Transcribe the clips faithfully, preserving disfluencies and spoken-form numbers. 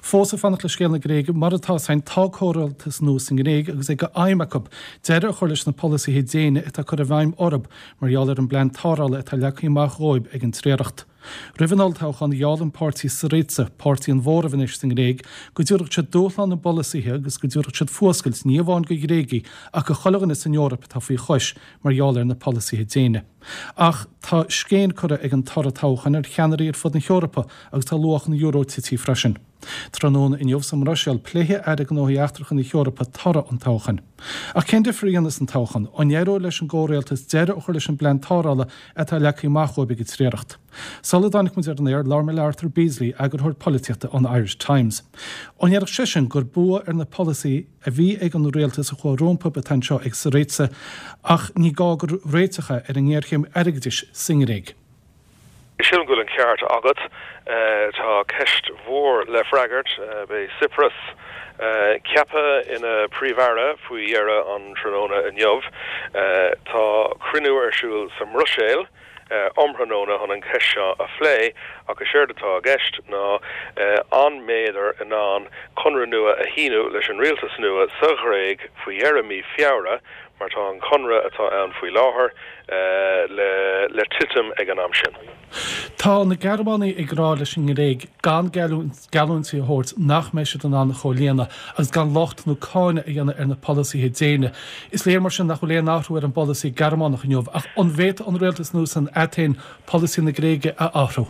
Fós ag fanacht le scéal na Gréige mar atá san tá comhrialtas nua sa nGréig agus é d'aidhm acu deireadh a chur leis na polasaithe déine atá curtha i bhfeidhm orthu mar gheall ar an bplean tarrthála atá leagtha amach dóibh ag an triaracht. Roimh an olltoghchán gheall an páirtí Syriza, páirtí an mhóraimh anois sa nGréig, go dtabharfadh siad dúshlán na bpolasaithe agus go dtabharfadh siad fuascailt ní amháin do Ghréagaigh ach do chuile dhuine san Eoraip atá faoi chois mar gheall ar na polasaithe déine. Ach tá scéin curtha ag an toradh toghcháin ar cheannairí ar fud na hEorpa agus tá luach an euro tite freisin. Tráthnóna inniu sa mBruiséil pléifidh Airí Gnóthaí Eachtracha na hEorpa toradh an toghcháin. Ach cén difear a dhéanfas an toghchán an éireoidh leis an gcomhrialtas deireadh a chur leis an bplean tarrthála atá leagtha amach dóibh ag an triaracht. Sula dtáinig muid ar an aer labhair mé le Arthur Beesley, eagarthóir polaitíochta an Irish Times. An ndéarfadh seisean gur bua ar na polasaithe a bhí ag an rialtas a chuaigh rompu atá anseo ag Syriza ach ní gá gur réiteach é ar an ngéarchéim airgeadais sa nGréig. Sílim go bhfuil an ceart agat tá ceist mhór le freagairt beidh Tsipras ceaptha ina phríomh-aire faoi dheireadh an tráthnóna inniu tá cruinniú ar siúl sa mBruiséil um thráthnóna chun an cheist seo a phlé ach is éard atá i gceist ná an mbeidh in ann conradh nua a shíniú leis an rialtas nua sa Ghréig faoi dheireadh mí Feabhra mar tá an conradh atá ann faoi láthair le le titim ag an am sin. Tá na Gearmánaigh ag rá leis an nGréig gan geallúintí a thabhairt nach mbeidh siad in ann a chomhlíonadh agus gan locht nó cáineadh a dhéanamh ar na polasaithe déine. Is léir mar sin nach bhfuil aon athrú ar an bpolasaí Gearmánach inniu ach an bhféadfadh an rialtas nua san Atéin polasaí na Gréige a athrú.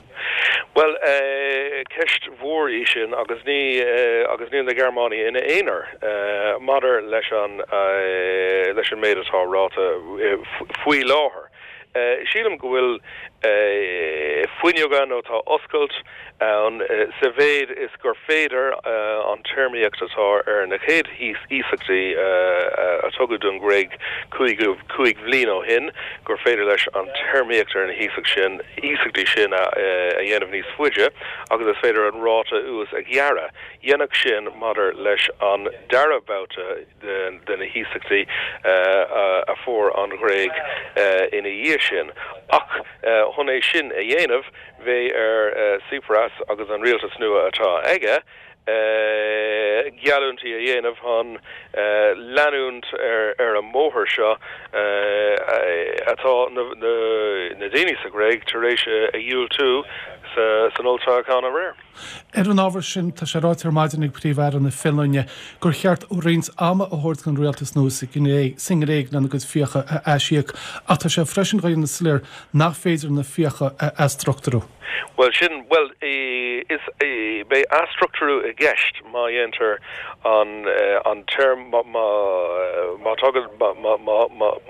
Well uh, ceist mhór í sin agus ní uh, agus níl na Gearmánaigh ina aonar uh, maidir leis an uh, leis an méid atá ráite uh, faoi láthair. Uh, sílim go bhfuil uh, fuinneoga nó tá oscailt ann uh, sa mhéid is gur féidir uh, an téarmaíocht atá ar na chéad iasachtaí uh, a tugadh don Ghréig cúig cúig bhliain ó shin gur féidir leis an téarmaíocht ar na hiasacht sin iasachtaí sin a, a dhéanamh níos faide agus is féidir an ráta úis a ghearradh. Dhéanadh sin maidir leis an dara babhta de, de na hiasachtaí uh, a fuair an Ghréig uh, ina dhiaidh sin. Ach uh, chun é sin a dhéanamh bheadh ar uh, Tsipras agus an rialtas nua atá aige, uh, geallúintí a dhéanamh chun uh, leanúint ar, ar an mbóthar seo uh, atá na, na, na daoine sa Ghréig tar éis a dhiúltú sa, san olltoghchán aréir. Ar an ábhar sin tá sé ráite ar maidin ag Príomh-Aire na Fionlainne gur cheart roinnt ama a thabhairt don rialtas nua sa nGréig lena gcuid fiacha a aisíoc ach tá sé freisin á dhéanamh soiléir nach féidir na fiacha a athstruchtúrú. Well sin well is beidh athstruchtúrú i gceist má dhéantar an an term má má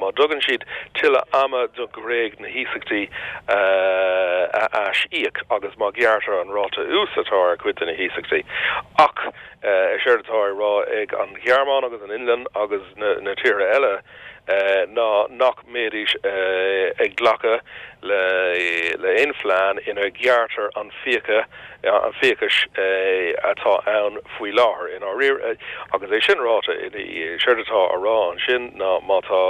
má thugann siad tuilleadh ama don Ghréig na hiasachtaí a aisíoc agus má ghearrtar an ráta úis atá ar cuid de na hiasachtaí. Ach is éard atá á rá ag an Ghearmáin agus an Fhionlainn agus na, na tíortha eile uh, ná nach mbeidís uh, ag glacadh le le aon phlean ina ghearrtar an fiacha an fiachas uh, atá ann faoi láthair in áirír uh, agus é sin ráite séard atá á rá ansin ná má tá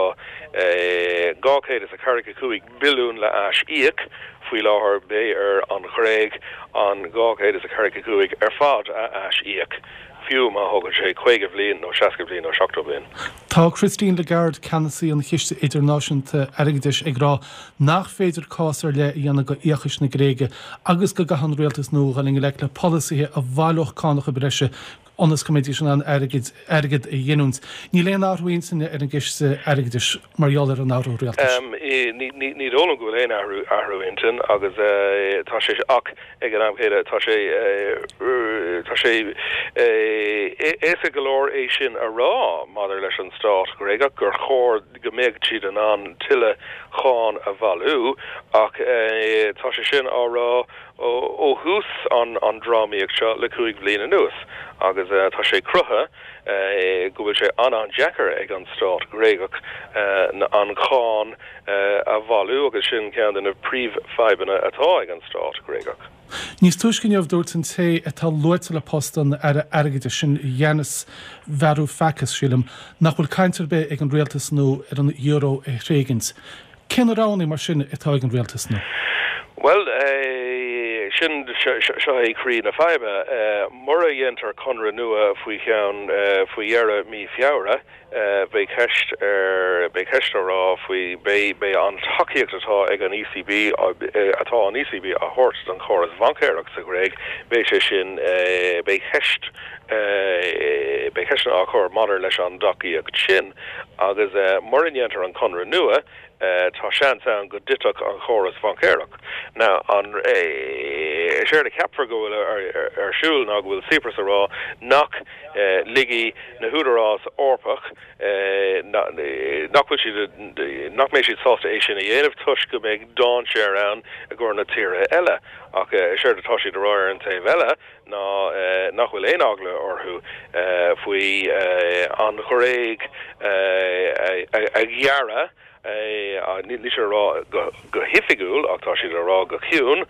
dhá chéad is a ceathracha cúig billiún le haisíoc faoi láthair beidh ar an Ghréig an dhá chéad is a ceathracha cúig ar fad a aisíoc. Fiú má thógann sé caoga bliain nó seasca bliain nó seachtó bliain. Tá Christine Lagarde ceannasaí an Chiste Idirnáisiúnta Airgeadais ag rá nach féidir cás ar leith a dhéanamh d'fhiachas na Gréige agus go gcaithfidh an rialtas nua dul i ngleic le polasaithe a bhaileodh cánacha breise ionas go mbeidís in ann airgead airgead a ghiniúint. Níl aon athrú intinne ar an gCiste Airgeadais mar gheall ar an athrú rialtais. Um, ní ní dóigh liom go bhfuil aon athrú athrú intinn agus uh, tá sé ach ag an am céanna tá sé uh, tá sé éasca go leor é sin a rá maidir leis an stát Gréagach gur chóir go mbeadh siad in ann tuilleadh cáin a bhailiú ach uh, tá sé sin á rá ó thús an an drámaíocht seo le cúig bhliain anuas agus uh, tá sé cruthaithe uh, go bhfuil sé an-an-deacair ag an stát Gréagach uh, an cháin uh, a bhailiú agus sin ceann de na príomhfhadhbanna atá ag an stát Gréagach. Níos túisce inniu dúirt an té atá luaite le post an aire airgeadais sin Yanis Varoufakis sílim nach bhfuil caint ar bith ag an rialtas nua ar an euro a thréigint. Cén roghanna mar sin atá ag an rialtas nua? Well uh, sin seo é croí na faidhbe. Mura dhéantar conradh nua faoi cheann faoi dheireadh mí Feabhra, beidh ceist ar beidh ceist á rá faoi beidh beidh an tacaíocht atá ag an ECB atá an ECB a thabhairt don chóras baincéireachta sa Ghréig, beidh sé sin beidh ceist beidh ceisteanna á chur maidir leis an dtacaíocht sin agus mura ndéantar an conradh nua, tá seans ann go dtitfeadh an chóras baincéireachta. Now an is éard a cheapfar go bhfuil ar siúl ná go bhfuil Tsipras ag rá nach ligfidh na húdaráis Eorpach nach bhfuil siad nach mbeidh siad sásta é sin a dhéanamh toisc go mbeidh dainséar ann i gcomhair na tíortha eile. Ach is éard atá siad ag rá ar an taobh eile ná nach bhfuil aon eagla orthu faoi an Ghréig a ghearradh níl siad ag rá go hoifigiúil ach tá siad ag rá go ciúin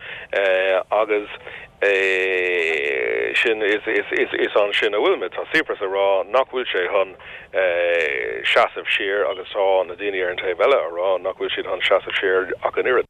agus sin is is ansin a bhfuil muid. Tá Tsipras ag rá nach bhfuil sé chun seasamh siar agus tá na daoine ar an taobh eile ag rá nach bhfuil siad chun seasamh siar ach an oiread.